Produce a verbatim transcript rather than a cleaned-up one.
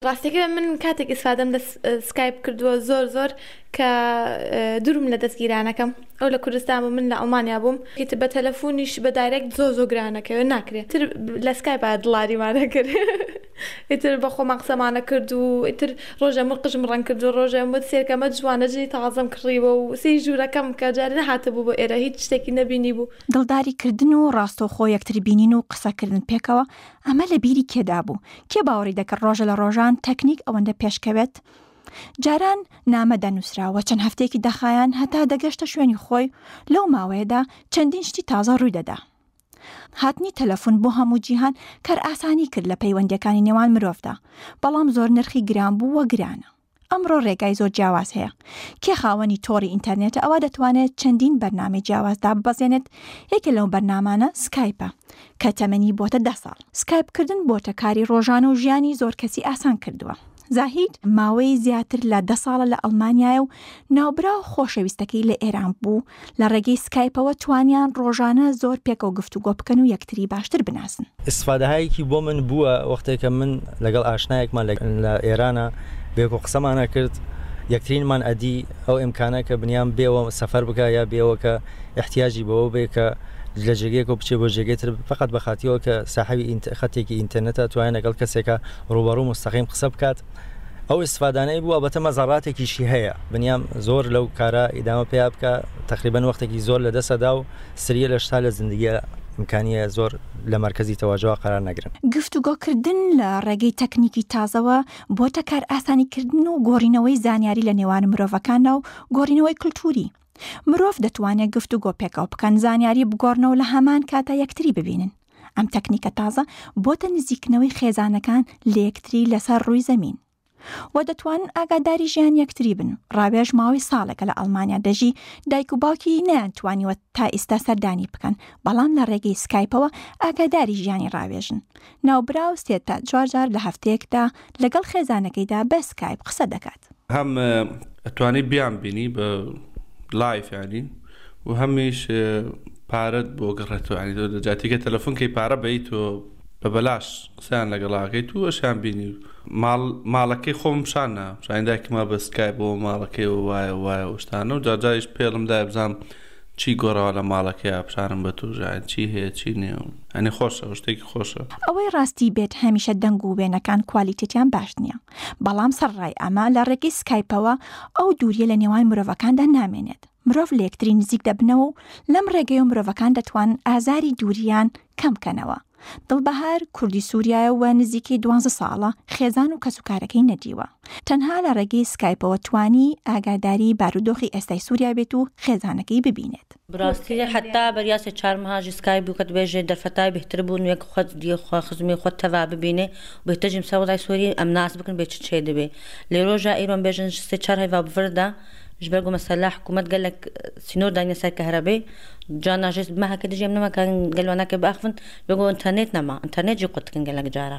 ڕاستەکە من کاتێک ئیسفادەم لە سکایپ کردووە زۆر زۆر کە دوورم لە دەستگیرانەکەم، ئەو لە کوردستان بوو من لە ئەڵمانیا بووم، ئیتر بە تەلەفۆنیش بە direct زۆر زۆر گرانەکەوێ ناکرێت، تر لە سکایپ دڵاریمانە کرد، ئیتر بە خۆمان قسەمانە کرد و ئیتر ڕۆژە من قژم ڕەنگ کرد و ڕۆژە وت سێرکەمە جوانە جلی تازەم کڕیوە و سێی ژوورەکەم کە جارێ نەهاتبوو بۆ ئێرە هیچ شتێکی نەبینی بوو. دڵداری کردن و ڕاستەوخۆ یەکتر بینین و قسەکردن پێکەوە، ئەمە لە بیری کێدا بوو؟ کێ باوەڕی دەکرد ڕۆژە لە ڕۆژان تەکنیک ئەوەندە پێشکەوێت؟ جاران نامە دەنووسراوە چەند هەفتەیەکی دەخایان هەتا دەگەشتە شوێنی خۆی، لەو ماوەیەدا چەندین شتی تازە ڕووی دەدا. هاتنی تەلەفۆن بۆ هەموو جیهان کارئاسانی کرد لە پەیوەندیەکانی نێوان مرۆڤدا، بەڵام زۆر نرخی گران بوو و گرانە. ئەمڕۆ ڕێگای زۆر جیاواز هەیە. کێ خاوەنی تۆڕی ئینتەرنێتە ئەوە دەتوانێت چەندین بەرنامەی جیاواز داببەزێنێت. یەکێ لەو بەرنامانە سکایپە کە تەمەنی بۆتە دە ساڵ. سکایپکردن بۆتە کاری ڕۆژانە و ژیانی زۆر کەسی ئاسان کردووە. زاهید ماوەی زیاتر لە دە ساڵە لە ئەڵمانیایە و ناوبراو خۆشەویستەکەی لە ئێران بوو. لە ڕێگەی سکایپەوە توانیان ڕۆژانە زۆر پێکەوە گفتوگۆ بکەن و یەکتری باشتر بناسن. ئیسفادەهایەکی بۆ من بووە وەختێکە من لەگەڵ ئاشنایەکمان لە ئێرانە بێکۆ قسەمانە کرد، یەکترینمان ئەدی ئەو ئیمکانە کە بنیام بێەوە سەفەر بکە یا بێەوە کە احتیاجی بەوە بێ کە لە جێگەیەکەوە بچێ بۆ جێگەی تر، فقط بەخاتیەوە کە ساحەوی خەتێکی ئینتەرنێتە توانێت لەگەڵ کەسێکە ڕووبەڕوو مستەقیم قسە بکات. ئەو ئیسفادانەی بووە بەتە مەزەڕاتێکیشی هەیە، بنیام زۆر لەو کارە ئیدامە پێیا بکە تقریبا وەختێکی زۆر لە دەسەدا و سریە لە شتا لە زندگیە ئیمکانیە زۆر لە مەرکەزی تەواجەوە قرار نەگرن. گفتوگۆکردن لە ڕێگەی تەکنیکی تازەوە بۆتە کار ئاسانیکردن و گۆڕینەوەی زانیاری لە نێوان مرۆڤەکاندا و گۆڕینەوەی کللتوری. مرۆڤ دەتوانێت گفتوگۆ پێکەوە بکەن، زانیاری بگۆڕنەوە لە هەمان کاتا یەکتری ببینن. ئەم تەکنیکە تازە بۆتە نزیکنەوەی خێزانەکان لە یەکتری لەسەر ڕووی زەمین و دەتوانن ئاگاداری ژیان یەکتری بن. ڕاوێژ ماوەی ساڵێکە لە ئەڵمانیا دەژی، دایک و باوکی نەیانتوانیوە تا ئێستا سەردانی بکەن، بەڵام لە ڕێگەی سکایپەوە ئاگاداری ژیانی ڕاوێژن. ناوبراو سێ تا چوار جار لە هەفتەیەکدا لەگەڵ خێزانەکەیدا بە سکایپ قسە دەکات. هەم ئەتوانی بیان بینی بە live ینی و هەمیش پارەت بۆ گەڕێتەوە، ینی تۆ لە جاتیکە تەلەفۆن کەی پارە بەی تۆ بە بەلاش قسەیان لەگەڵاکەی تو ئەشیان بینی. ماڵەکەی خۆم پیشان نا، پیشانی دایکما بە سکایپ بۆ ماڵەکەی و وایە وایە شتانە و جاجاریش پێڵم دای بزانم چی گۆڕاوە لە ماڵەکەی پیشانم بە تۆ ژیان چی هەیە چی نییە، ینی خۆشە شتێکی خۆشە. ئەوەی ڕاستی بێت هەمیشە دەنگ و وێنەکان کوالیتێتیان باش نییە، بەڵام سەرڕای ئەمە لە ڕێگەی سکایپەوە ئەو دووریە لە نێوان مرۆڤەکاندا نامێنێت. مرۆڤ لە یەکتری نزیک دەبنەوە و لەم ڕێگەیە مرۆڤەکان دەتوانن ئازاری دووریان کەم بکەنەوە. دڵبەهار کوردی سووریایە و نزیکەی دوانزە ساڵە خێزان و کەسوکارەکەی نەدیوە. تەنها لە ڕێگەی سکایپەوە توانی ئاگاداری بارودۆخی ئێستای سووریا بێت و خێزانەکەی ببینێت. بڕاستی حتا بەریاسی چوار مەهاژی سکایپ بوو کە دەبێژێ دەرفەتای بهتر بوون وەک خۆت دی خوا خزمی خۆت تەوا ببینێ بهتەجیم سەوڵای سووری ئەم ناس بکەن بێ چ چێ دەبێ. لێ ڕۆژە ئیرۆن بێژن سێ چوار هەیڤا بڤردا ji ber ku mesela hikûmet gelek sînor daniye ser kehrebê carna jê meheke dijî em nemakin gel wan neke biaxivin ji ber ku înternet nema înternet jî qut dikin gelek cara.